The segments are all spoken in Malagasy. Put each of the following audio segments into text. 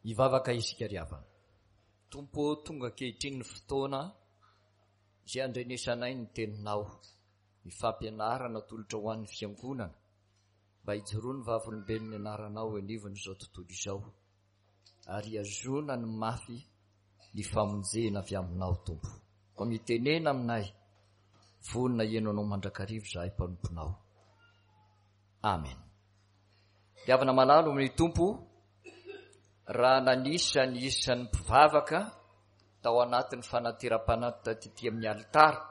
Hivavaka isika ry havana. Tompo ô, tonga ankehitriny ny fotoana izay handrenesanay ny Teninao, ny fampianarana atolotra ho an'ny Fiangonana, mba hijoroan'ny vavolombelon'ny Anaranao eo anivon'izao tontolo izao, ary hihazonany mafy ny famonjena avy Aminao, Tompo. Koa mitenena aminay, vonona hihaino Anao mandrakariva izahay mpanomponao. Amen. Ry havana malala ao amin'ny Tompo, raha nanisa ny isan'ny mpivavaka tao anatin'ny fanateram-panatitra tety amin'ny alitara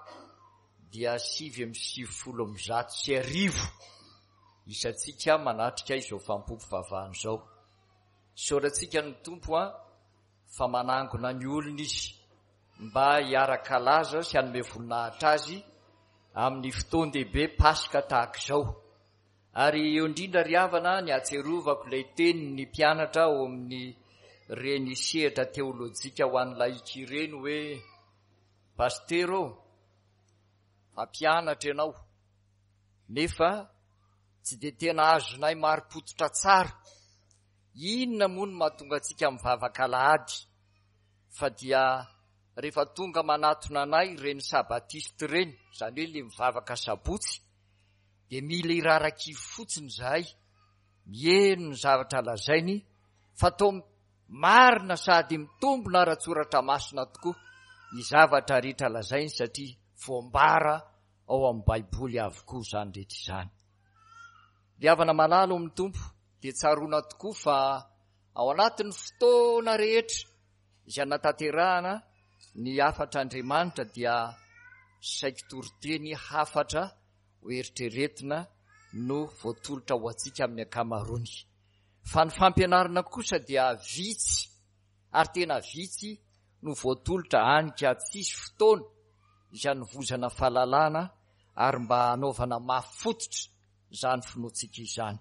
dia 1199 isantsika manatrika izao fampom-pivavahana izao. Isaorantsika ny Tompo an fa manangona ny olona Izy mba hiara-kalaza sy hanome voninahitra Azy amin'ny fotoan-dehibe Paska tahaka izao. Ary eo indrindra ry havana ny ahatsiarovako ilay tenin'ny mpianatra ao amin'ny reny sehatra teolojika ho an'ny laïc ireny hoe Pasitera ô, mpampianatra ianao, nefa tsy dia tena azonay marim-pototra tsara inona moa no mahatonga antsika mivavaka alahady fa dia rehefa tonga manatona anay ireny sabatiste ireny, izany hoe ilay mivavaka sabotsy, dia mila irarakivo fotsiny izahay miheno ny zavatra lazainy fa toa marina sady mitombina ara-tsoratra masina tokoa ny zavatra rehetra lazainy satria voambara ao amin'ny Baiboly avokoa izany rehetra izany. Ry havana malala ao amin'ny Tompo dia tsaroana tokoa fa ao anatin'ny fotoana rehetra izay anatanterahana ny hafatr'Andriamanitra dia saiky toriteny hafatra ho eritreretina no voatolotra ho antsika amin'ny ankamaroany. Fa ny fampianarana kosa dia vitsy ary tena vitsy no voatolotra any ka tsisy fotoana izay hanovozana fahalalana ary mba hanaovana mafy fototra izany finoantsika izany.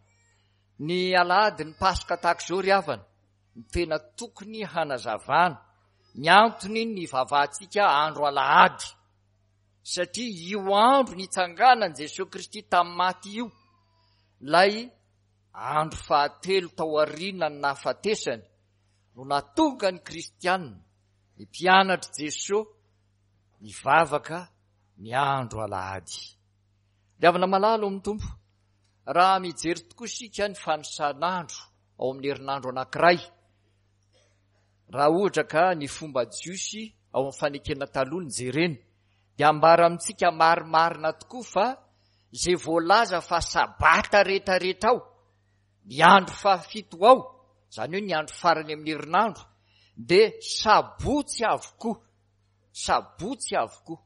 Ny alahady ny Paska tahaka izao ry havana no tena tokony hanazavana ny antony nivavahantsika andro alahady. Satria io andro nitsanganan'i Jesoa Kristy tamin'ny maty io, ilay andro fahatelo tao aorianan'ny nahafatesany, no nahatonga ny kristiana, ny mpianatr'i Jesoa, nivavaka ny andro alahady. Ry havana malala ao amin'ny Tompo, raha mijery tokoa isika ny fanisan'andro ao amin'ny herinandro anankiray, Raha ohatra ka ny fomba jiosy ao amin'ny fanekena taloha no jerena, dia ambara amintsika marimarina tokoa fa izay voalaza fa sabata rehetrarehetra ao, ny andro fahafito ao, izany hoe ny andro farany amin'ny herinandro, dia sabotsy avokoa. Sabotsy avokoa.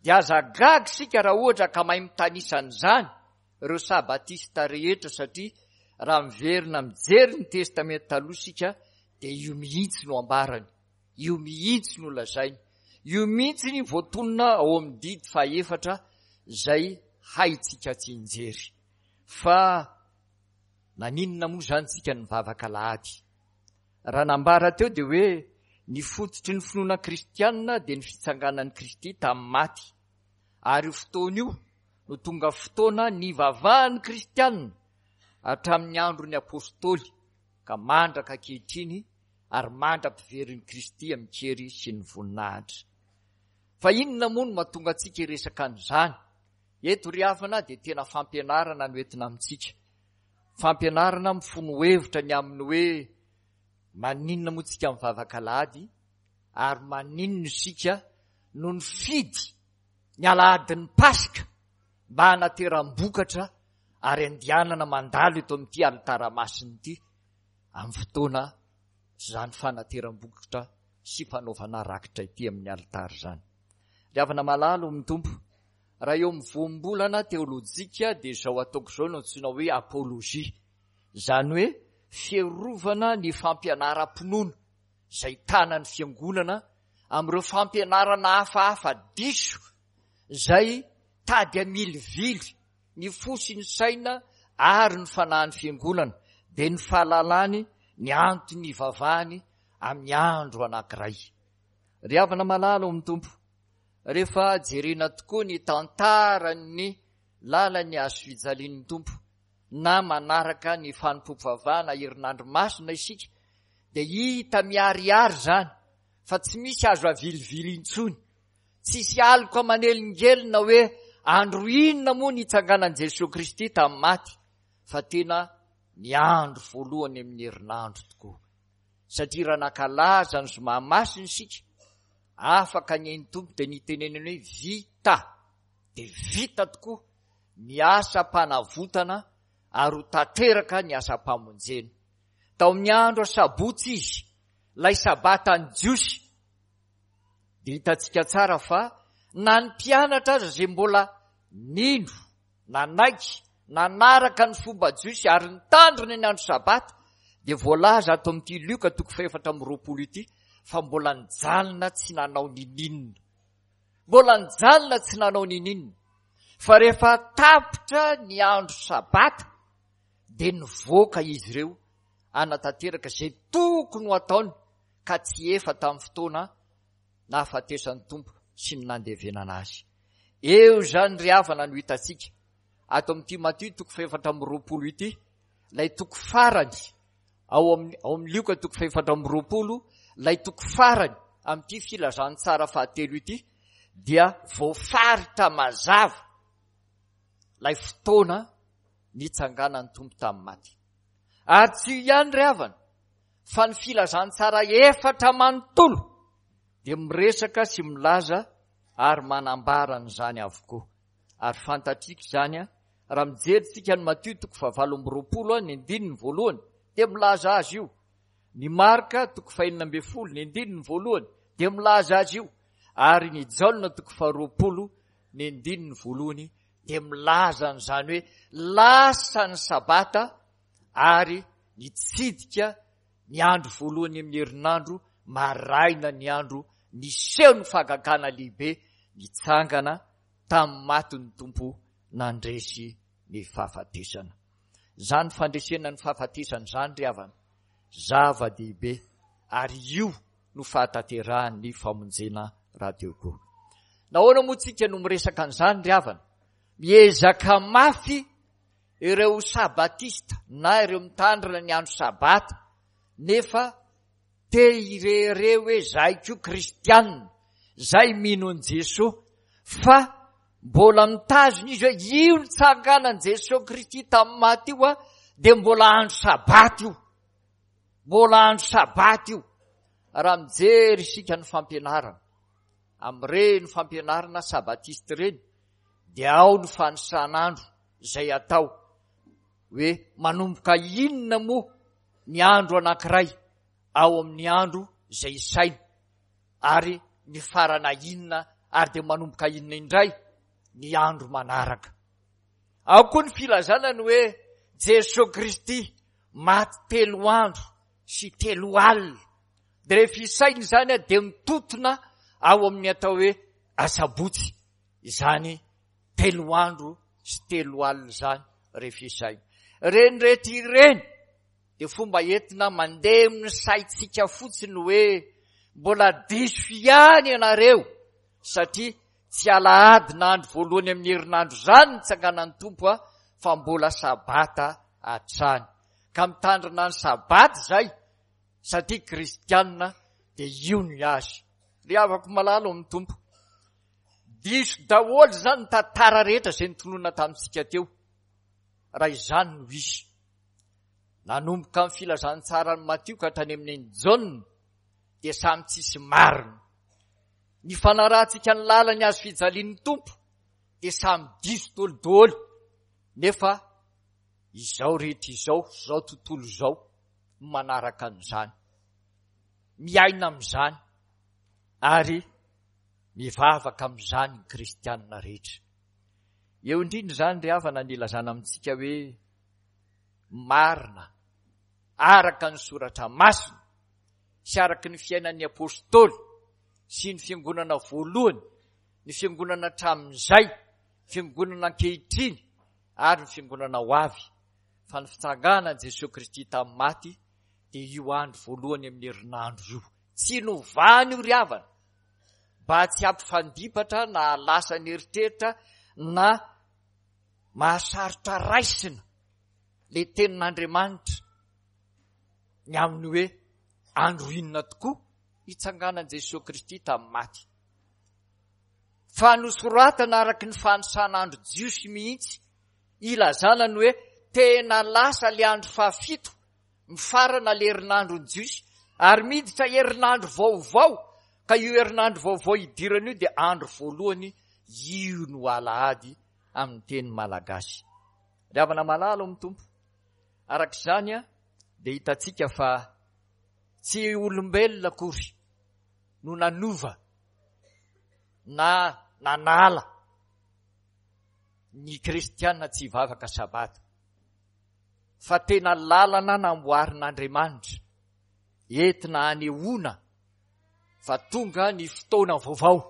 Dia aza gaga isika raha ohatra ka mahay mitanisa an'izany ireo sabatista rehetra satria raha miverina mijery ny testamenta taloha isika dia io mihitsy no ambarany, io mihitsy no lazainy, io mihitsy ny voatonona ao amin'ny didy fahefatra izay haintsika tsinjery. Fa naninona moa izany isika nivavaka alahady? Raha nambara teo dia hoe ny fototry ny finoana kristianina dia ny fitsanganan'i Kristy tamin'ny maty. Ary io fotoana io no tonga fotoana nivavahan'ny kristianina hatramin'ny andron'ny apostoly ka mandraka ankehitriny ary mandra-piverin'i Kristy amin-kery sy ny voninahitra. Fa inona moa no mahatonga antsika hiresaka an'izany? Eto ry havana dia tena fampianarana no entina amintsika. Fampianarana mifono hevitra ny amin'ny hoe maninona moa tsika mivavaka alahady ary maninona isika no nifidy ny alahadin'ny Paska mba hanateram-bokatra ary andehanana mandalo eto amin'ity alitara masina ity amin'ny fotoana izany fanateram-bokatra sy fanaovana rakitra ity amin'ny alitara izany. Ry havana malala ao amin'ny Tompo, raha eo amin'ny voambolana teolojika dia izao ataoko izao no antsoina hoe apologie, izany hoe fiarovana ny fampianaram-pinoana izay tanan'ny fiangonana amin'ireo fampianarana hafahafa diso izay tady hamilivily ny fo sy ny saina ary ny fanahin'ny fiangonana, dia ny fahalalany ny antony ivavahany amin'ny andro anankiray. Ry havana malala ao amin'ny Tompo, rehefa jerena tokoa ny tantaran'ny lalan'ny hazo fijalian'ny Tompo, na manaraka ny fanompoam-pivavahana herinandro masina isika, Dia hita miharihary izany fa tsy misy azo avilivily intsony. Tsisy aloka manelingelina hoe andro inona moa nitsanganan'i Jesoa Kristy tamin'ny maty fa tena ny andro voalohany amin'ny herinandro tokoa. Satria raha nankalaza ny zoma masina isika, afaka ny ain'ny Tompo dia nitenenany hoe vita, dia vita tokoa ny asam-panavotana ary ho tanteraka ny asam-pamonjena. Tao amin'ny andro asabotsy izy, ilay sabatan'ny Jiosy, dia hitantsika tsara fa na ny mpianatra aza izay mbola nino, nanaiky, nanaraka ny fomba jiosy ary nitandrina ny andro sabata, dia voalaza ato amin'ity Lioka toko fahefatra amby 20 ity fa mbola nijanona tsy nanao nininona. Mbola nijanona tsy nanao nininona. Fa rehefa tapitra ny andro sabata dia nivoaka izy ireo hanatanteraka izay tokony ho ataony ka tsy efa tamin'ny fotoana nahafatesan'ny Tompo sy ny nandevenana azy. Eo izany ry havana no hitantsika ato amin'ity Matio toko fahefatra amby 20 ity, ilay toko farany ao amin'ny ao amin'ny Lioka toko fahefatra amby 20, ilay toko farany amin'ity filazantsara fahatelo ity dia voafaritra mazava ilay fotoana nitsanganan'ny Tompo tamin'ny maty. Ary tsy io ihany ry havana fa ny filazantsara efatra manontolo dia miresaka sy milaza ary manambara an'izany avokoa. Ary fantatrika izany raha mijery tsika ny Matio toko fahavalo amby 20 ny andininy voalohany dia milaza azy io. Ny Marka toko fahenina ambin'ny folo ny andininy voalohany dia milaza azy io. Ary ny Jaona toko faharoapolo ny andininy voalohany dia milaza an'izany hoe lasa ny sabata ary nitsidika ny andro voalohany amin'ny herinandro maraina ny andro niseho ny fahagagana lehibe nitsangana tamin'ny maty ny Tompo nandresy ny fahafatesana. Izany fandresena ny fahafatesana izany ry havana, zava-dehibe ary io no fahatanterahan'ny famonjena rahateo koa. Nahoana moa tsika no miresaka an'izany ry havana? Miezaka mafy ireo sabatista na ireo mitandrina ny andro sabata nefa te hirehareha hoe zahay koa kristianina, zay mino an'i Jesoa fa mbola mitazona izy hoe io nitsanganan'i Jesoa Kristy tamin'ny maty io dia mbola andro sabata io. Mbola andro sabata io. Raha mijery isika ny fampianarana, amin'ireny fampianarana sabatista ireny, dia ao ny fanisan'andro izay atao hoe manomboka inona moa ny andro anankiray ao amin'ny andro izay isaina ary mifarana inona ary dia manomboka inona indray ny andro manaraka. Ao koa ny filazana ny hoe Jesoa Kristy maty telo andro sy telo alina. Dia rehefa isaina izany dia mitotona ao amin'ny atao hoe asabotsy izany telo andro sy telo alina izany rehefa isaina. Ireny rehetra ireny dia fomba entina mandeha amin'ny saintsika fotsiny hoe mbola diso ihany ianareo satria tsy alahady na andro voalohany amin'ny herinandro izany ny tsanganan'ny Tompo a fa mbola sabata hatrany. Ka mitandrina ny sabata izay satria kristianina dia io ny azy. Ry havako malala ao amin'ny Tompo. Diso daholo izany ny tantara rehetra izay nitonona tamintsika teo. Raha izany no izy. Nanomboka ny filazantsaran'i Matio ka hatrany amin'ny Jaona dia samy tsisy marina. Ny fanarahantsika ny lalan'ny hazo fijalian'ny Tompo dia samy diso dolidoly nefa izao rehetra izao, izao tontolo izao no manaraka an'izany. Miaina amin'izany ary mivavaka amin'izany ny kristianina rehetra. Eo indrindra izany ry havana ny ilazana amintsika hoe marina araka ny soratra masina sy araka ny fiainan'ny apostoly sy ny fiangonana voalohany, ny fiangonana hatramin'izay, fiangonana ankehitriny ary ny fiangonana ho avy fa ny fitsanganan'i Jesoa Kristy tamin'ny maty dia io andro voalohany amin'ny herinandro io. Tsy novany io ry havana mba tsy hampifandipatra na hahalasa ny eritreritra na mahasarotra raisina le tenin'Andriamanitra ny amin'ny hoe. Andro inona tokoa hitsanganan'i Jesoa Kristy tamin'ny maty? Fa nosoratana araka ny fanisan'andro jiosy mihitsy ilazana ny hoe tena lasa le andro fahafito, mifarana le herinandron'ny jiosy ary miditra herinandro vaovao, ka io herinandro vaovao idirana io dia andro voalohany, io no alahady amin'ny teny malagasy. Ry havana malala ao amin'ny Tompo, araka izany dia hitantsika fa tsy olombelona akory no nanova na nanala ny kristiana tsy hivavaka sabata, fa tena lalana namboarin'Andriamanitra entina hanehoana fa tonga ny fotoana vaovao,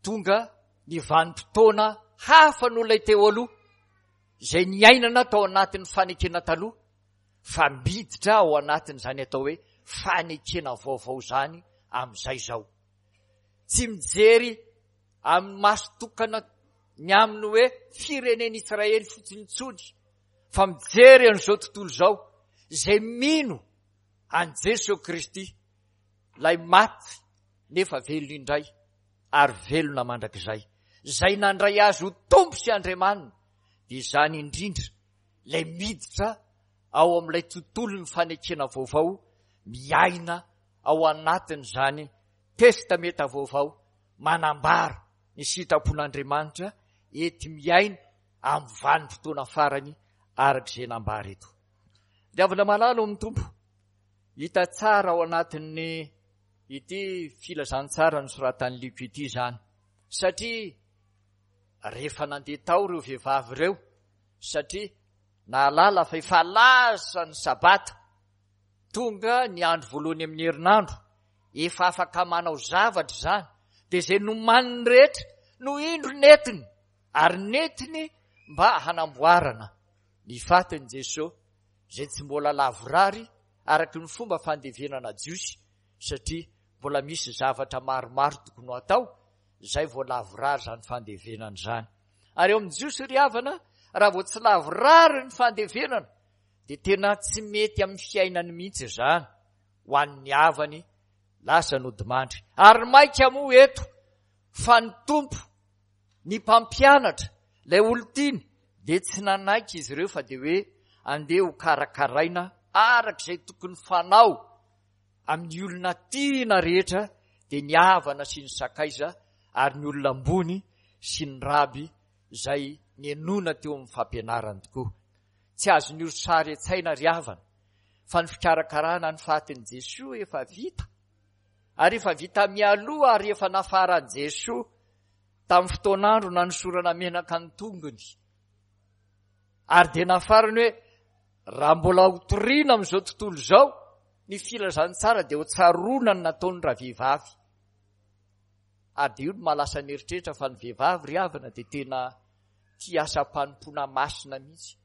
tonga ny vanim-potoana hafa noho ilay teo aloha, izay niainana tao anatin'ny fanekena taloha, fa miditra ao anatin'izany atao hoe fanekena vaovao izany amin'izay izao. Tsy mijery amin'ny maso tokana ny amin'ny hoe firenen'Israely fotsiny intsony, fa mijery an'izao tontolo izao izay mino an'i Jesoa Kristy, ilay maty nefa velona indray ary velona mandrakizay, izay nandray azy ho Tompo sy Andriamaniny, dia izany indrindra ilay miditra ao amin'ilay tontolon'ny fanekena vaovao, miaina ao anatin'izany Testamenta Vaovao manambara ny sitrapon'Andriamanitra enti-miaina amin'ny vanim-potoana farany araka izay nambara eto. Ry havana malala ao amin'ny Tompo, hita tsara ao anatin'ny ity filazantsara nosoratan'i Lioka ity izany, satria rehefa nandeha tao ireo vehivavy ireo, satria nahalala fa efa lasa ny Sabata, tonga ny andro voalohany amin'ny herinandro, efa afaka manao zavatra izany, dia izay nomaniny rehetra no indro nentiny, ary nentiny mba hanamboarana ny fatin'i Jesoa, izay tsy mbola lavorary araka ny fomba fandevenana jiosy, satria mbola misy zavatra maromaro tokony ho atao, izay vao lavorary izany fandevenana izany. Ary eo amin'ny jiosy ry havana, raha vao tsy lavorary ny fandevenana, dia tena tsy mety amin'ny fiainany mihitsy izany ho an'ny havany lasa nodimandry. Ary maika moa eto fa ny Tompo, ny mpampianatra, ilay olon-tiany dia tsy nanaiky izy ireo fa dia hoe andeha ho karakaraina araka izay tokony fanao amin'ny olona tiana rehetra dia ny havana sy ny sakaiza ary ny olona ambony sy ny raby izay nianona teo amin'ny fampianarany tokoa. Tsy azon'io sary an-tsaina ry havana fa ny fikarakarana ny fatin'i Jesoa efa vita ary efa vita mialoha ary efa nafaran'i Jesoa tamin'ny fotoan'andro nanosorana menaka ny tongony ary dia nafarany hoe raha mbola ho toriana amin'izao tontolo izao ny filazantsara dia ho tsaroana ny nataony ravehivavy ary dia io no mahalasa ny eritreritra fa ny vehivavy ry havana dia tena tia asam-panompoana masina mihitsy.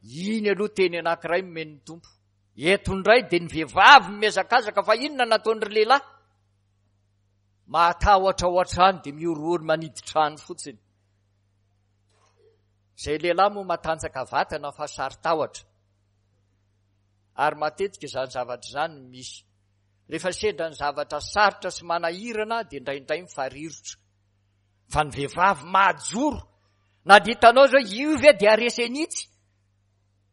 Iny aloha teny anankiray nomen'ny Tompo. Eto indray dia ny vehivavy mihazakazaka fa inona nataon'ny lehilahy? Mahatahotra ao an-trano dia mihorohoro manidy trano fotsiny. Izay lehilahy moa matanjaka vatana fa saro-tahotra. Ary matetika izany zavatra izany no misy. Rehefa sendra ny zavatra sarotra sy manahirana dia indraindray mifarirotra. Fa ny vehivavy mahajoro, na dia hitanao zao io ve dia haresy an'itsy?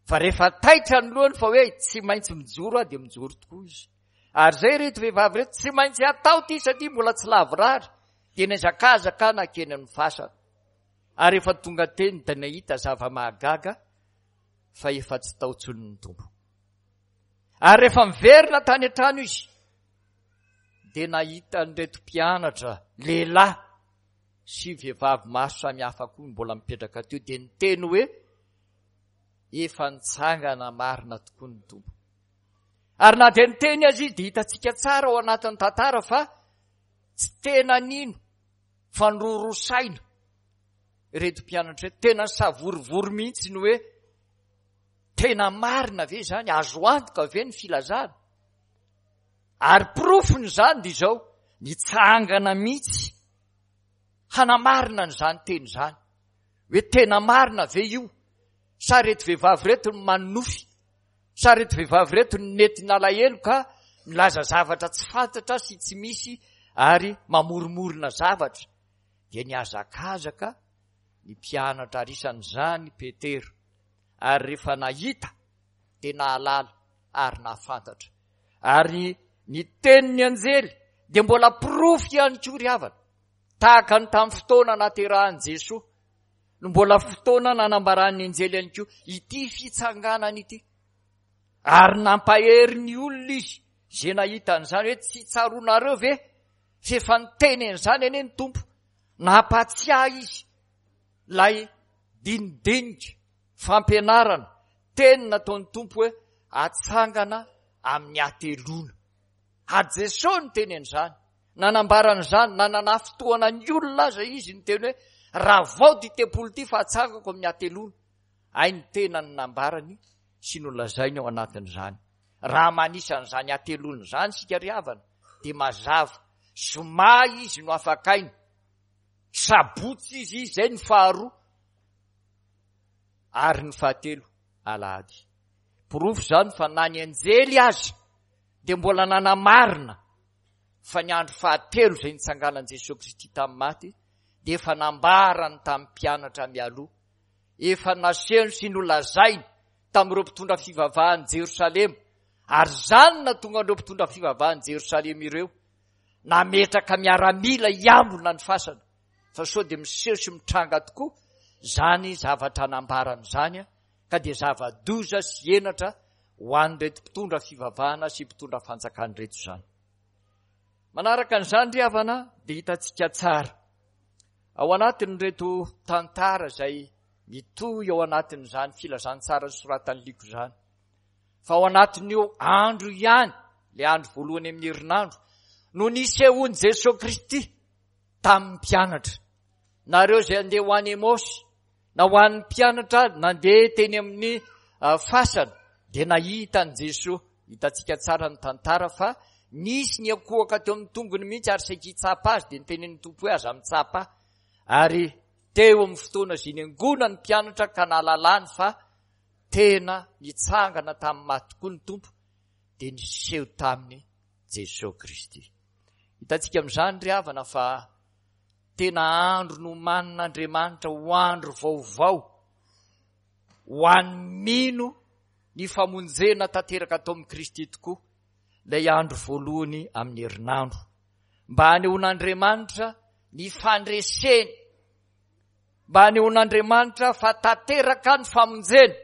Fa rehefa taitra ny lohany fa hoe tsy maintsy mijoro aho dia mijoro tokoa izy. Ary izay ireto vehivavy ireto tsy maintsy atao ity satria mbola tsy lavorary dia nihazakazaka nankeny amin'ny fasana. Ary efa tonga teny dia nahita zava-mahagaga fa efa tsy tao intsony ny Tompo. Ary rehefa miverina tany an-trano izy dia nahita an'ireto mpianatra lehilahy sy vehivavy maro samihafa koa mbola mipetraka teo dia niteny hoe efa nitsangana marina tokoa ny Tompo. Ary na dia niteny aza izy dia hitantsika tsara ao anatin'ny tantara fa tsy tena nino fa niroroa saina ireto mpianatra ireto. Tena nisavorovoro mihitsy ny hoe tena marina ve izany? Azo antoka ve ny filazana? Ary porofony izany dia izao, nitsangana mihitsy hanamarina an'izany teny izany. Hoe tena marina ve io? Sa ireto vehivavy ireto no manonofy? Sa ireto vehivavy ireto no nety nalahelo ka nilaza zavatra tsy fantatra sy tsy misy ary mamoromorona zavatra? Dia nihazakazaka ny mpianatra ary isan'izany Petera. Ary rehefa nahita dia nahalala ary nahafantatra. Ary ny tenin'ny anjely dia mbola porofo ihany koa ry havana. Tahaka ny tamin'ny fotoana naterahan'i Jesoa no mbola fotoana nanambaran'ny anjely ihany koa ity fitsanganana ity. Ary nampahery ny olona izy izay nahita an'izany hoe tsy tsaroanareo ve f'efa niteny an'izany anie ny Tompo. Nampatsiahy izy ilay dinidinika, fampianarana, teny nataon'ny Tompo hoe atsangana amin'ny hateloana. Ary Jesosy niteny an'izany. Nanambara an'izany na nanafintohana ny olona aza izy niteny hoe, Ravao ity tempoly ity fa hatsangako amin'ny hateloana. Hay ny tenany nambarany sy nolazainy ao anatin'izany. Raha manisa an'izany hateloana izany isika ry havana dia mazava, zoma izy no afakaina, sabotsy izy izay ny faharoa ary ny fahatelo alahady. Porofo izany fa na ny anjely aza dia mbola nanamarina fa ny andro fahatelo izay nitsanganan'i Jesoa Kristy tamin'ny maty dia efa nambarany tamin'ny mpianatra mialoha, efa nasehony sy nolazainy tamin'ireo mpitondra fivavahan'i Jerosalema, ary izany no nahatonga an'ireo mpitondra fivavahan'i Jerosalema ireo nametraka miaramila hiambina ny fasana, fa sao dia miseho sy mitranga tokoa izany zavatra nambarany izany, ka dia zava-doza sy henatra ho an'ireto mpitondra fivavahana sy mpitondra fanjakana ireto izany. Manaraka an'izany ry havana dia hitantsika tsara ao anatin'ireto tantara izay mitohy ao anatin'izany filazantsara soratan'i Liko izany fa ao anatin'io andro ihany, ilay andro voalohany amin'ny herinandro, no nisehoan'i Jesoa Kristy tamin'ny mpianatra. Nareo izay andeha ho any Emaosy, Na ho an'ny mpianatra nandeha teny amin'ny fasana dia nahita an'i Jesoa. Hitantsika tsara ny tantara fa nisy niankohoka teo amin'ny tongony mihitsy ary saika hitsapa azy dia nitenenin'ny Tompo hoe aza mitsapa ahy. Ary teo amin'ny fotoana izay niangonan'ny mpianatra ka nahalalany fa tena nitsangana tamin'ny maty tokoa ny Tompo dia niseho taminy Jesoa Kristy. Hitantsika amin'izany ry havana fa Tena andro nomanin'Andriamanitra ho andro vaovao ho an'ny mino ny famonjena tanteraka tao amin'i Kristy tokoa ilay andro voalohany amin'ny herinandro, mba hanehoan'Andriamanitra ny fandreseny, mba hanehoan'Andriamanitra fa tanteraka ny famonjena,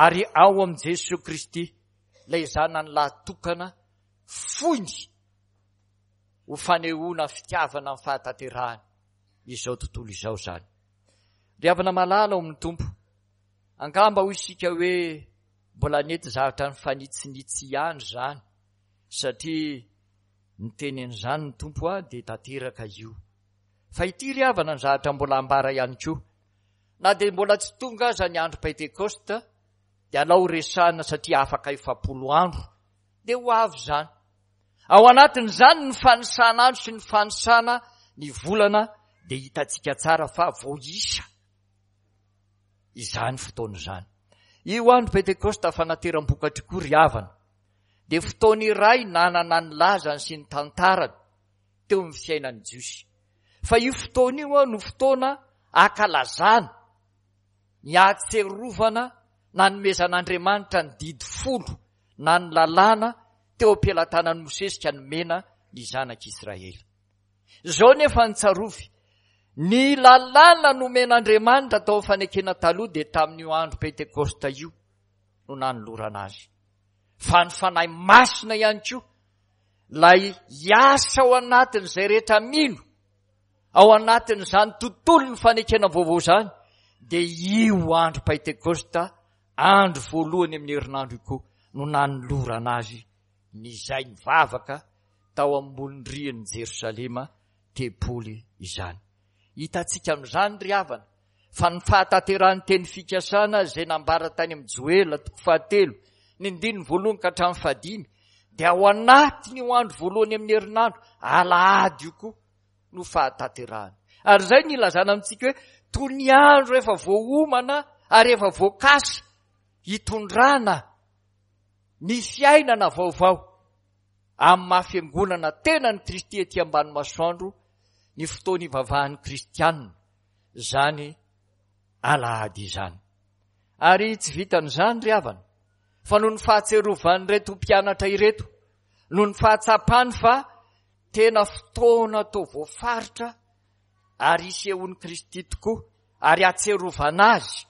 ary ao amin'i Jesoa Kristy, ilay Zanany lahy tokana foiny. ho fanehoana fitiavana ny fahatanterahany izao tontolo izao izany. Ry havana malala ao amin'ny Tompo, angamba hoy isika hoe mbola nety zavatra nifanitsinitsy ihany izany, satria niteny an'izany ny Tompo a, dia tanteraka io. Fa ity ry havana ny zavatra mbola ambara ihany koa, na dia mbola tsy tonga aza ny andro Pentekosta, dia alao resahina satria afaka 40 andro, dia ho avy izany. Ao anatin'izany ny fanisana andro sy ny fanisana ny volana dia hitantsika tsara fa voaisa izany fotoana izany. Io andro Pentekosta fanateram-bokatra koa ry havana dia fotoana iray nanana ny lazany sy ny tantarany teo amin'ny fiainan'ny Jiosy. Fa io fotoana io no fotoana akalazana ny ahatserovana nanomezan'Andriamanitra ny didy folo na ny lalàna teo am-pelatanan'i Mosesy ka nomena ny zanak'Israely. Izao nefa ny tsarovy, ny lalàna nomen'Andriamanitra tao amin'ny fanekena taloha dia tamin'io andro Pentekosta io no nanolorana azy. Fa ny Fanahy Masina ihany koa, ilay hiasa ao anatin'izay rehetra mino, ao anatin'izany tontolon'ny fanekena vaovao izany, dia io andro Pentekosta Andro voalohany amin'ny herinandro io koa no nanolorana azy ny izay nivavaka tao ambony rian'i Jerosalema tempoly izany. Hitantsika amin'izany ry havana fa ny fahatanterahan'ny teny fikasana izay nambara tany amin'ny Joela toko fahatelo ny ndininy voalohany ka hatramin'ny fahadimy dia ao anatin'io andro voalohany amin'ny herinandro alahady io koa no fahatanterahany. Ary izay no ilazana amintsika hoe toy ny andro efa voaomana ary efa voakasa hitondrana. ny fiainana vaovao amin'ny maha fiangonana tenan'i Kristy ety ambany masoandro ny fotoana ivavahan'ny kristianina izany alahady izany. Ary tsy vitan'izany ry havana, fa noho ny fahatsiarovan'ireto mpianatra ireto, noho ny fahatsapany fa tena fotoana toa voafaritra ary isehoan'i Kristy tokoa ary hatsiarovana azy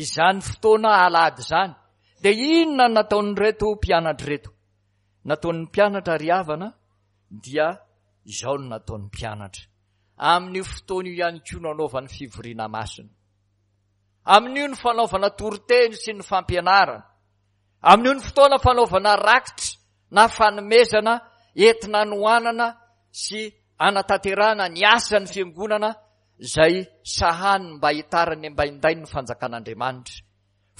izany fotoana alahady izany, dia inona no nataon'ireto mpianatra ireto? Nataon'ny mpianatra ry havana dia izao no nataon'ny mpianatra. Amin'io fotoana io ihany koa no anaovany fivoriana masina. Amin'io ny fanaovana toriteny sy ny fampianarana. Amin'io ny fotoana fanaovana rakitra na fanomezana entina hanohanana sy hanatanterahana ny asan'ny fiangonana izay sahaniny mba hitarany ambaindainy ny fanjakan'Andriamanitra.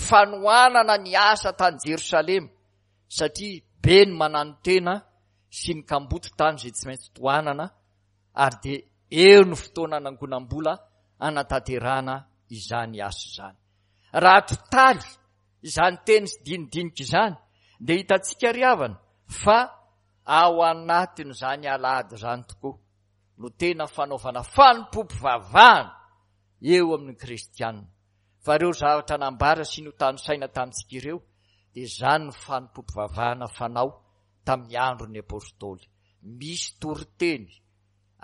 Fanohanana ny asa tany Jerosalema satria be ny mananotena sy ny kamboty tany izay tsy maintsy tohanana ary dia eo ny fotoana anangonam-bola hanatanterahana izany asa izany. Raha totaly izany teny sy dinidinika izany dia hitantsika ry havana fa ao anatin'izany alahady izany tokoa no tena fanaovana fanompoam-pivavahana eo amin'ny kristianina. Fa ireo zavatra nambara sy notanisaina tamintsika ireo dia izany ny fanompoam-pivavahana fanao tamin'ny andron'ny apostoly. Misy toriteny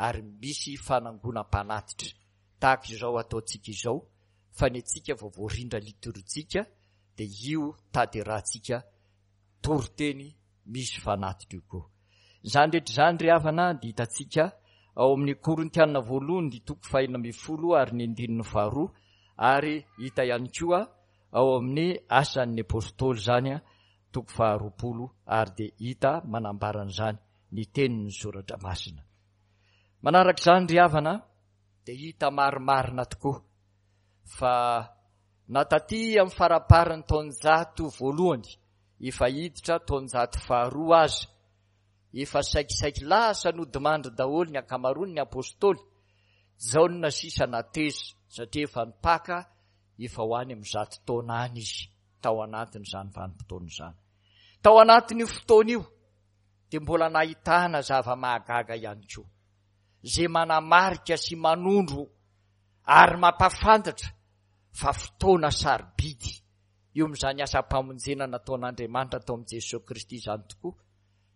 ary misy fanangonam-panatitra tahaka izao ataontsika izao fa ny antsika vao voarindra litorjika dia io tanterahantsika toriteny misy fanatitra io koa. Izany rehetra izany ry havana dia hitantsika ao amin'ny Korintiana voalohany ny toko faha-16 ary ny andininy faharoa ary hita ihany koa ao amin'ny Asan'ny Apostoly izany toko faha-20 ary dia hita manambara an'izany ny tenin'ny Soratra Masina. Manaraka izany ry havana dia hita marimarina tokoa fa na taty amin'ny faramparan'ny taonjato voalohany efa hiditra taonjato faharoa aza, efa saikisaiky lasa nodimandry daholo ny ankamaroan'ny apostoly, Jaona sisa nateza satria efa nipaka efa ho any amin'ny zato taona any izy tao anatin'izany vanim-potoana izany. Tao anatin'io fotoana io dia mbola nahitana zava-mahagaga ihany koa, izay manamarika sy manondro ary mampahafantatra fa fotoana sarobidy eo amin'izany asam-pamonjena nataon'Andriamanitra tao amin'i Jesoa Kristy izany tokoa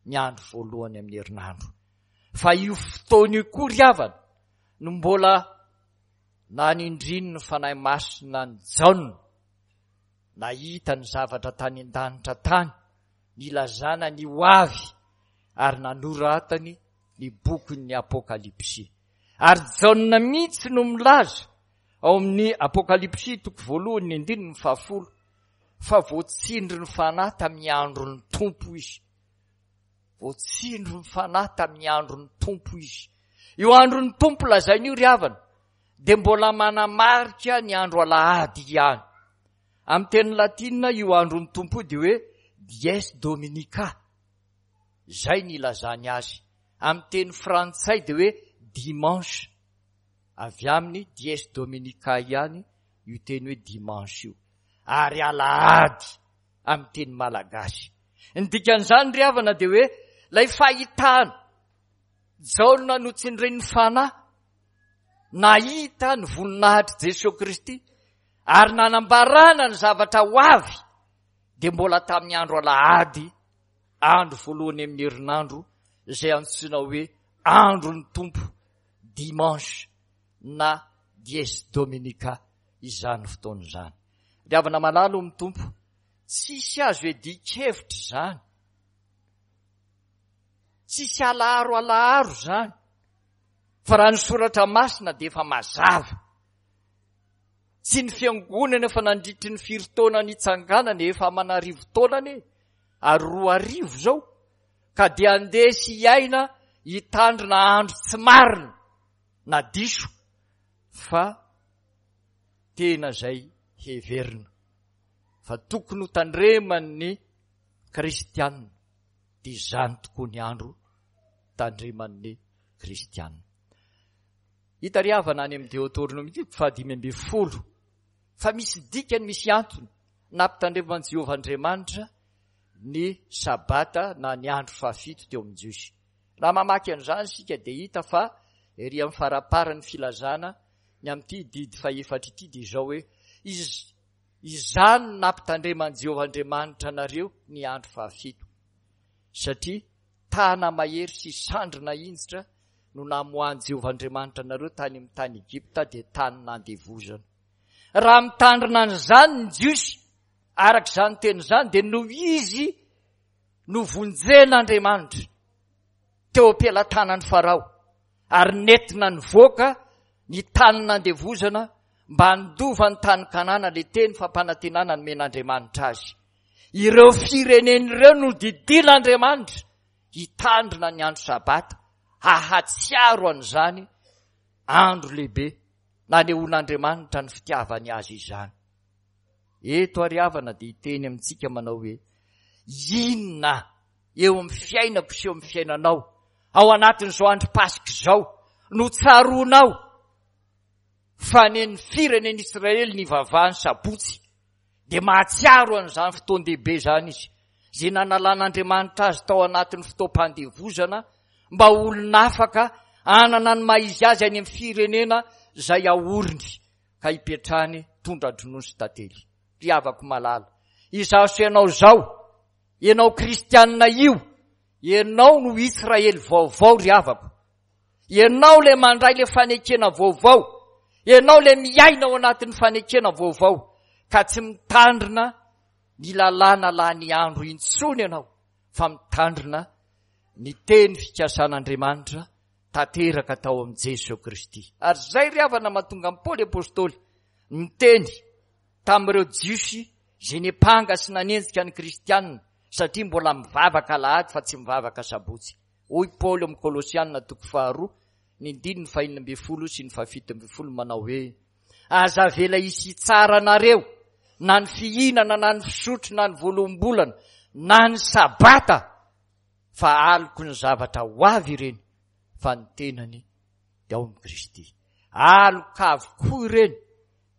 ny andro voalohany amin'ny herinandro. Fa io fotoana io koa ry havana no mbola nanindriny ny Fanahy Masina an'i Jaona nahita ny zavatra tany an-danitra tany, nilazana ny ho avy ary nanoratany ny bokin'ny Apokalypsy. Ary Jaona mihitsy no milaza ao amin'ny Apokalypsy toko voalohany ny andininy fahafolo fa voatsindry ny fanahy tamin'ny andron'ny Tompo izy. Voatsindry ny fanahy tamin'ny andron'ny Tompo izy. Io andron'ny Tompo lazaina io ry havana dia mbola manamarika ny andro alahady ihany. Amin'ny teny latina io andron'ny Tompo io dia hoe dies dominica. Izay ny ilazany azy. Amin'ny teny frantsay dia hoe dimanche. Avy amin'ny dies dominica ihany io teny hoe dimanche io. Ary alahady amin'ny teny malagasy. Ny dikan'izany ry havana dia hoe ilay fahitana Jaona notsindrin'ny fanahy nahita ny voninahitr'i Jesoa Kristy ary nanambarana ny zavatra ho avy dia mbola tamin'ny andro alahady andro voalohany amin'ny herinandro izay antsoina hoe andron'ny Tompo, dimanche na dies dominica izany fotoana izany. Ry havana malala ao amin'ny Tompo, tsisy azo iadian-kevitra izany. Tsisy alaharo alaharo izany. Fa raha ny soratra masina dia efa mazava. Tsy ny fiangonana efa nandritry ny firy taona nitsanganana efa aman'arivo taona anie ary 2000 izao ka dia andeha sy hiaina hitandrina andro tsy marina na diso fa tena izay heverina fa tokony ho tandreman'ny kristianina dia izany tokoa ny andro tandreman'ny kristianina. Hita ry havana any amin'ny Deoteronomia toko faha-15 fa misy dikany, misy antony nampitandreman'i Jehovah Andriamanitra ny Sabata na ny andro fahafito teo amin'ny Jiosy. Raha mamaky an'izany isika dia hita fa ery amin'ny faramparan'ny filazana ny amin'ity didy fahefatra ity dia izao hoe, Izany no nampitandreman'i Jehovah Andriamanitra anareo ny andro fahafito, satria tana-mahery sy sandry nahinjitra no namoahan'i Jehovah Andriamanitra anareo tany amin'ny tany Egypta, dia tany nandevozana. Raha mitandrina an'izany ny Jiosy, araka izany teny izany, dia noho izy novonjen'Andriamanitra teo am-pelatanan'i Farao ary nentina nivoaka ny tany nandevozana mba handova ny tany Kanana, ilay teny fampanantenana nomen'Andriamanitra azy. Ireo firenena ireo no didian'Andriamanitra hitandrina ny andro Sabata, hahatsiaro an'izany andro lehibe nanehoan'Andriamanitra ny fitiavany azy izany. Eto ary havana dia hiteny amintsika manao hoe, inona eo amin'ny fiainako sy eo amin'ny fiainanao ao anatin'izao andro Paska izao no tsaroanao fa ny firenen'Israely nivavahan'ny sabotsy dia mahatsiaro an'izany fotoan-dehibe izany izy, izay nanalan'Andriamanitra azy tao anatin'ny fotoam-pandevozana mba ho olona afaka hanana ny maha izy azy any amin'ny firenena izay aoriny ka hipetrahany tondra-dronono sy tantely. Ry havako malala, izaho sy ianao izao, ianao kristianina io, ianao no Israely vaovao ry havako. Ianao ilay mandray ilay fanekena vaovao. Ianao ilay miaina ao anatin'ny fanekena vaovao ka tsy mitandrina ny lalàna lany andro intsony ianao fa mitandrina ny teny fikasan'Andriamanitra tanteraka tao amin'i Jesoa Kristy. Ary izay ry havana mahatonga an'i Paoly Apostoly niteny tamin'ireo Jiosy izay niampanga sy nanenjika ny Kristianina satria mbola mivavaka alahady fa tsy mivavaka sabotsy. Hoy Paoly ao amin'ny Kolosiana toko faharoa ny andininy fahenina ambin'ny folo sy ny fahafito ambin'ny folo manao hoe, Aza avela hisy hitsara anareo na ny fihinana na ny fisotro na ny voaloham-bolana na ny sabata fa aloky ny zavatra ho avy ireny fa ny tenany dia ao amin'i Kristy. Aloka avokoa ireny,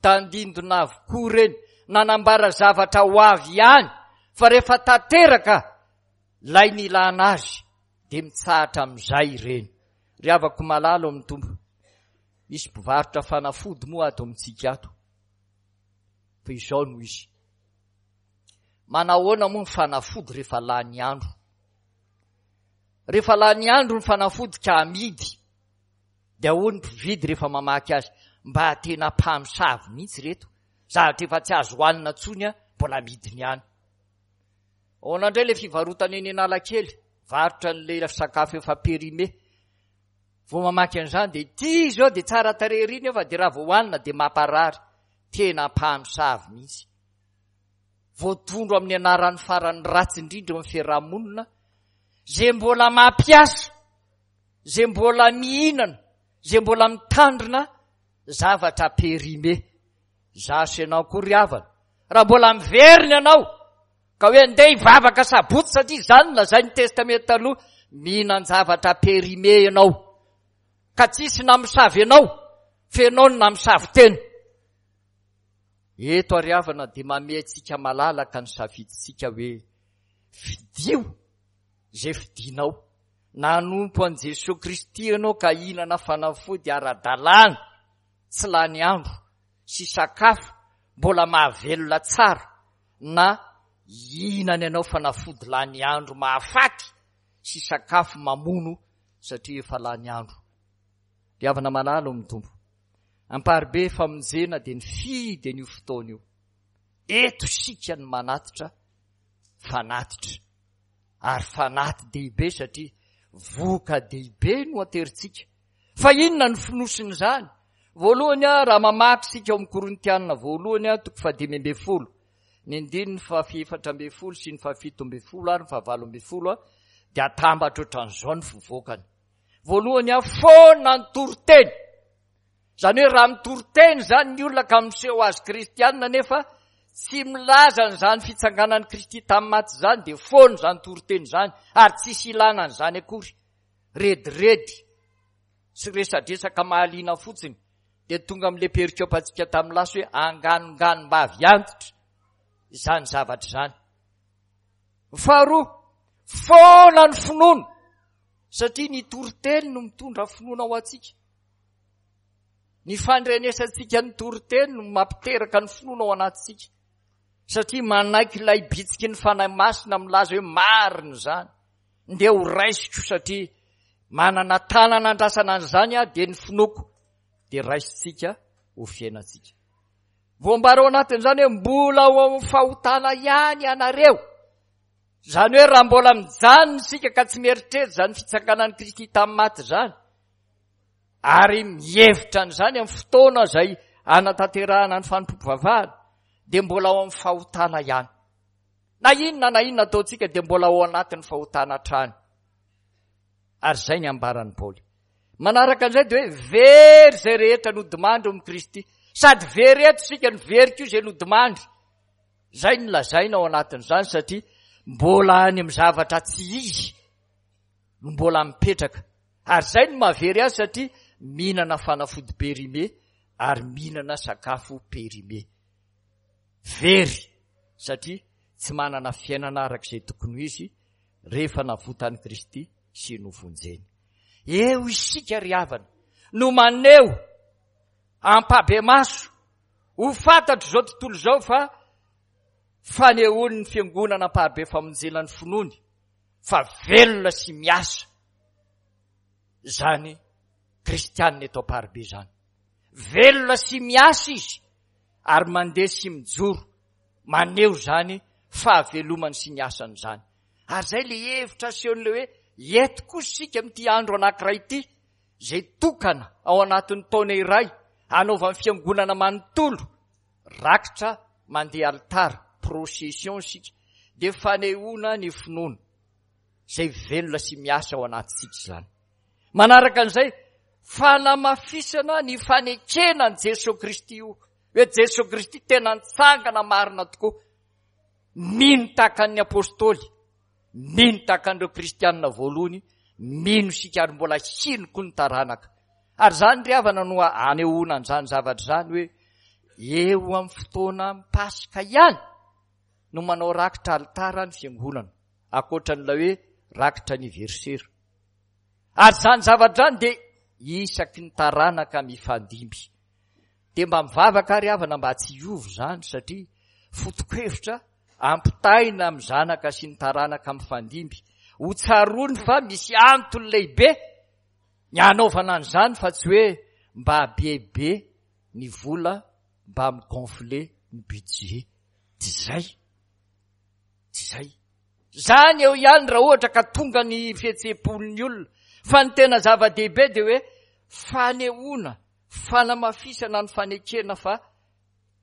tandindona avokoa ireny, nanambara zavatra ho avy ihany fa rehefa tanteraka ilay nilana azy dia mitsahatra amin'izay ireny. Ry havako malala ao amin'ny Tompo, misy mpivarotra fanafody moa ato amintsika ato. Fa izao no izy. Manahoana moa ny fanafody rehefa lany andro? Rehefa lany andro ny fanafody ka amidy, dia hoy ny mpividy rehefa mamaky azy, mba tena mpamosavy mihitsy ireto, zavatra efa tsy azo hohanina intsony mbola amidiny ihany. Ahoana indray ilay fivarotana eny Analakely, varotra an'ilay sakafo efa périmé. Vao mamaky an'izany dia ity izao dia tsara tarehy ery nefa dia raha vao hohanina dia mamparary. Tena mpamosavy mihitsy. Voatondro amin'ny anaran'ny farany ratsy indrindra eo amin'ny fiarahamonina, izay mbola mampiasa, izay mbola mihinana, izay mbola mitandrina zavatra périmé. Izaho sy ianao koa ry havana, raha mbola miverina ianao ka hoe andeha hivavaka sabotsy satria izany no lazain'ny testamenta taloha, mihinan-javatra périmé ianao ka tsisy namosavy anao fa ianao no namosavy tena. Eto ary havana dia mamehy antsika malalaka ny safidintsika hoe fidio izay fidinao. Na hanompo an'i Jesoa Kristy ianao ka hihinana fanafody ara-dalàna tsy lany andro sy sakafo mbola mahavelona tsara na hihinana ianao fanafody lany andro mahafaty sy sakafo mamono satria efa lany andro. Ry havana malala ao amin'ny Tompo, Amparibe famonjena dia nifidy an'io fotoana io. Eto isika no manatitra fanatitra. Ary fanati-dehibe satria voka-dehibe no aterintsika. Fa inona no fonosin'izany? Voalohany, raha mamaky isika ao amin'ny Korintianina voalohany, toko fahadimy ambin'ny folo, ny andininy fahaefatra ambin'ny folo sy ny fahafito ambin'ny folo ary ny fahavalo ambin'ny folo, dia atambatra ohatran'izao ny fivoakany. Voalohany, foana ny toriteny. Izany hoe raha mitory teny izany ny olona ka miseho azy kristianina nefa tsy milaza an'izany fitsanganan'i Kristy tamin'ny maty izany dia foana izany toriteny izany ary tsisy ilana an'izany akory. Rediredy sy resadresaka mahaliana fotsiny dia tonga amin'ilay perikopantsika tamin'ny lasa hoe anganonganom-bavy antitra izany zavatra izany. Faharoa, foana ny finoana, satria ny toriteny no mitondra finoana ho antsika. Ny fandrenesantsika ny toriteny no mampiteraka ny finoana ao anatintsika. Satria manaiky ilay bitsiky ny Fanahy Masina milaza hoe marina izany. Ndeha ho raisiko satria manana tanana andrasana an'izany aho dia ny finoako dia raisintsika ho fiainantsika. Voambara ao anatin'izany hoe mbola ao amin'ny fahotana ihany ianareo. Izany hoe raha mbola mijanona isika ka tsy mieritreritra izany fitsanganan'i Kristy tamin'ny maty izany, ary mihevitra an'izany amin'ny fotoana izay anatanterahana ny fanompoam-pivavahana, dia mbola ao amin'ny fahotana ihany. Na inona na inona ataontsika dia mbola ao anatin'ny fahotana hatrany. Ary izay ny ambaran'i Paoly. Manaraka an'izay dia hoe very izay rehetra nodimandry ao amin'i Kristy. Sady very eto isika no very koa izay nodimandry. Izay no lazaina ao anatin'izany satria mbola any amin'ny zavatra tsy izy no mbola mipetraka. Ary izay no mahavery azy satria mihinana fanafody périmé ary mihinana sakafo périmé. Very satria tsy manana fiainana araka izay tokony ho izy rehefa navotan'i Kristy sy novonjeny. Eo isika ry havana no maneho ampabemaso ho fantatr'izao tontolo izao fa fanehoan'ny fiangonana ampahabe famonjena ny finoany fa velona sy miasa izany kristianina eto Amparibe izany. Velona sy miasa izy ary mandeha sy mijoro maneho izany fahavelomany sy ny asany izany. Ary izay le hevitra asehon'ilay hoe eto kosa isika amin'ity andro anankiray ity izay tokana ao anatin'ny taona iray hanaovan'ny fiangonana manontolo rakitra mandeha alitara, procession isika, dia fanehoana ny finoana izay velona sy miasa ao anatintsika izany. Manaraka an'izay, fanamafisana ny fanekena an'i Jesoa Kristy io, hoe Jesoa Kristy tena nitsangana marina tokoa, mino tahaka an'ny apostoly, mino tahaka an'ireo kristianina voalohany, mino isika ary mbola hino koa ny taranaka. Ary izany ry havana no anehoana an'izany zavatra izany hoe eo amin'ny fotoana Paska ihany no manao rakitra alitara ny fiangonana, ankoatra an'ilay hoe rakitra anniversaire. Ary izany zavatra izany dia isaky ny taranaka mifandimby. Dia mba mivavaka ary havana mba tsy hiova izany satria foto-kevitra ampitaina amin'ny zanaka sy ny taranaka mifandimby. Ho tsaroany fa misy antony lehibe ny hanaovana an'izany fa tsy hoe mba bebe ny vola mba mi-gonfler ny budget. Tsy izay. Tsy izay. Zany eo ihany raha ohatra ka tonga ny fihetseham-pon'ny olona. Fa ny tena zava-dehibe dia hoe fanehoana, fanamafisana ny fanekena fa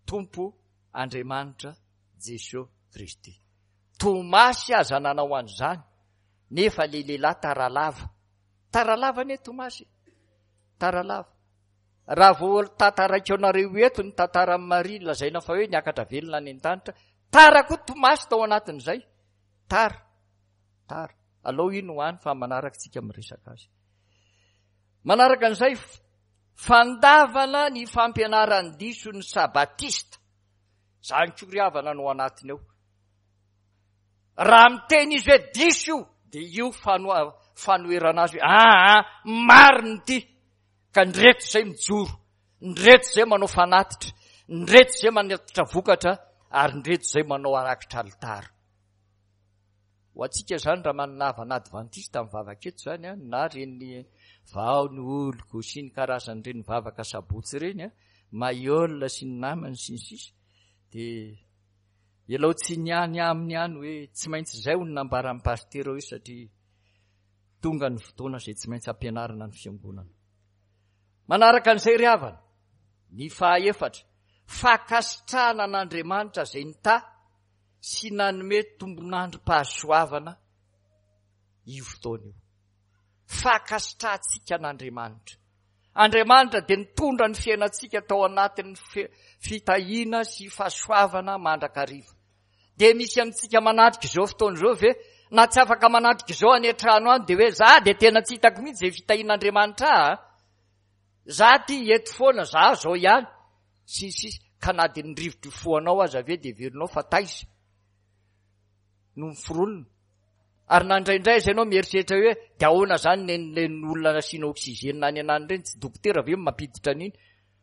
Tompo Andriamanitra Jesoa Kristy. Tomasy aza nanao an'izany, nefa le lehilahy tara lava. Tara lava anie Tomasy e. Tara lava. Raha vao tantaraiko anareo eto ny tantaran'i Maria lazaina fa hoe niakatra velona any an-danitra, tara koa Tomasy tao anatin'izay. Tara. Tara. Alao iny ho any fa manaraka tsika miresaka azy. Manaraka an'izay, fandavana ny fampianaran-diso ny sabatista. Izany koa ry havana no anatiny ao. Raha miteny izy hoe diso io, dia io fanoherana azy hoe aa ah, marina ity. Ka ny reto izay mijoro, ny reto izay manao fanatitra, ny reto izay manatitra vokatra, ary ny reto izay manao arakitra alitara. Ho antsika izany raha manana havana advantista mivavaka eto izany an, na ireny vao ny oloko sy ny karazan'ireny vavaka sabotsy ireny an, Mayol sy ny namany sy ny sisa, dia ialao tsiny ihany aminy ihany hoe tsy maintsy izay ho ny nambaran'ny pasitera hoe satria tonga ny fotoana izay tsy maintsy ampianarina ny fiangonana. Manaraka an'izay ry havana, ny fahaefatra, fankasitrahana an'Andriamanitra izay nitahy sy nanome tombon'androm-pahasoavana io fotoana io. Fankasitrahantsika an'Andriamanitra. Andriamanitra dia nitondra ny fiainantsika tao anatin'ny fitahiana sy fahasoavana mandrakariva. Dia misy amintsika manatrika izao fotoana izao ve na tsy afaka manatrika izao any an-trano any dia hoe za dia tena tsy hitako mihitsy izay fitahian'Andriamanitra ahy a. Za ty eto foana, za zao ihany. Sy ny sisa. Ka na dia ny rivotra ifohanao aza ve dia heverinao fa taiza? no miforonina. Ary na indraindray aza ianao mieritreritra hoe dia ahoana izany nen'ireny olona nasiana oxygène any anany ireny, tsy dokotera ve no mampiditra an'iny?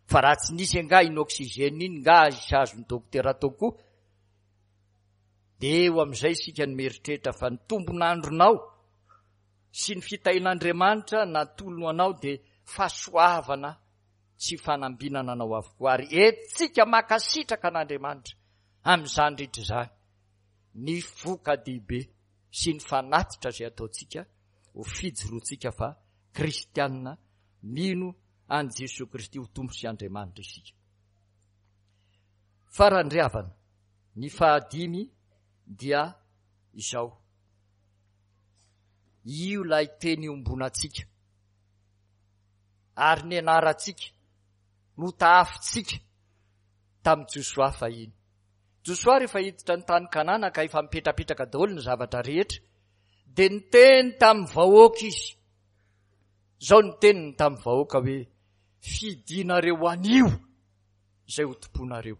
Fa raha tsy nisy angaha iny oxygène iny nga hisy azon'ny dokotera atao koa? Dia eo amin'izay isika no mieritreritra fa ny tombon'andronao sy ny fitahian'Andriamanitra natolony ho anao dia fahasoavana sy fanambinana anao avokoa. Ary entintsika mankasitraka an'Andriamanitra amin'izany rehetra izany ny voka-dehibe sy ny fanatitra izay ataontsika ho fijoroantsika fa kristianina mino an'i Jesoa Kristy ho Tompo sy Andriamanitra isika. Farany ry havana, ny fahadimy dia izao. Io ilay teny iombonantsika ary nianarantsika, notahafintsika tamin'i Josoa fahiny. Josoa rehefa hiditra ny tany Kanana ka efa mipetrapetraka daholo ny zavatra rehetra, dia niteny tamin'ny vahoaka izy. Izao ny teniny tamin'ny vahoaka hoe, fidinareo anio izay ho tomponareo.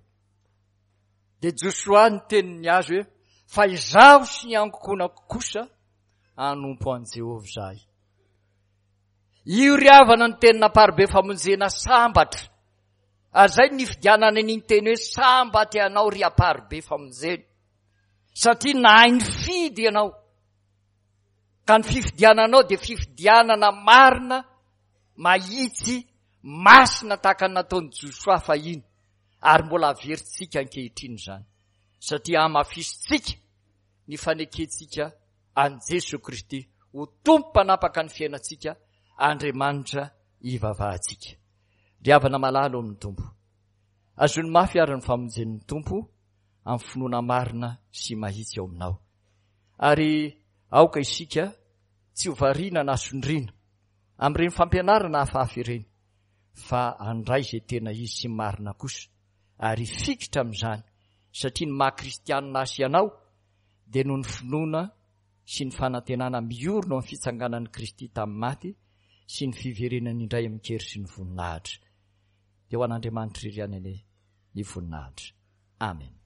Dia Josoa niteny ny azy hoe, fa izaho sy ny ankohonako kosa hanompo an'i Jehovah izahay. Io ry havana ny tenin'amparibe famonjena sambatra. Ary izay no nifidianana an'iny teny hoe sambatra ianao ry amparibe famonjena. Satria nahay nifidy ianao. Ka ny fifidiananao dia fifidianana marina, mahitsy, masina tahaka ny nataon'i Josoa fahiny. Ary mbola averintsika ankehitriny izany. Satria hamafisintsika ny fanekentsika an'i Jesoa Kristy ho Tompo mpanapaka ny fiainantsika, Andriamanitra ivavahantsika. Ry havana malala ao amin'ny Tompo, azony mafy ary ny famonjen'ny Tompo amin'ny finoana marina sy mahitsy ao aminao. Ary aoka isika tsy ho variana na sondriana amin'ireny fampianarana hafahafa ireny, fa handray izay tena izy sy marina kosa, ary hifikitra amin'izany, satria ny maha kristianina ahy sy ianao dia noho ny finoana sy ny fanantenana miorina ao amin'ny fitsanganan'i Kristy tamin'ny maty sy ny fiverenany indray amin-kery sy ny voninahitra. Dia ho an'Andriamanitra irery ihany anie ny voninahitra. Amen.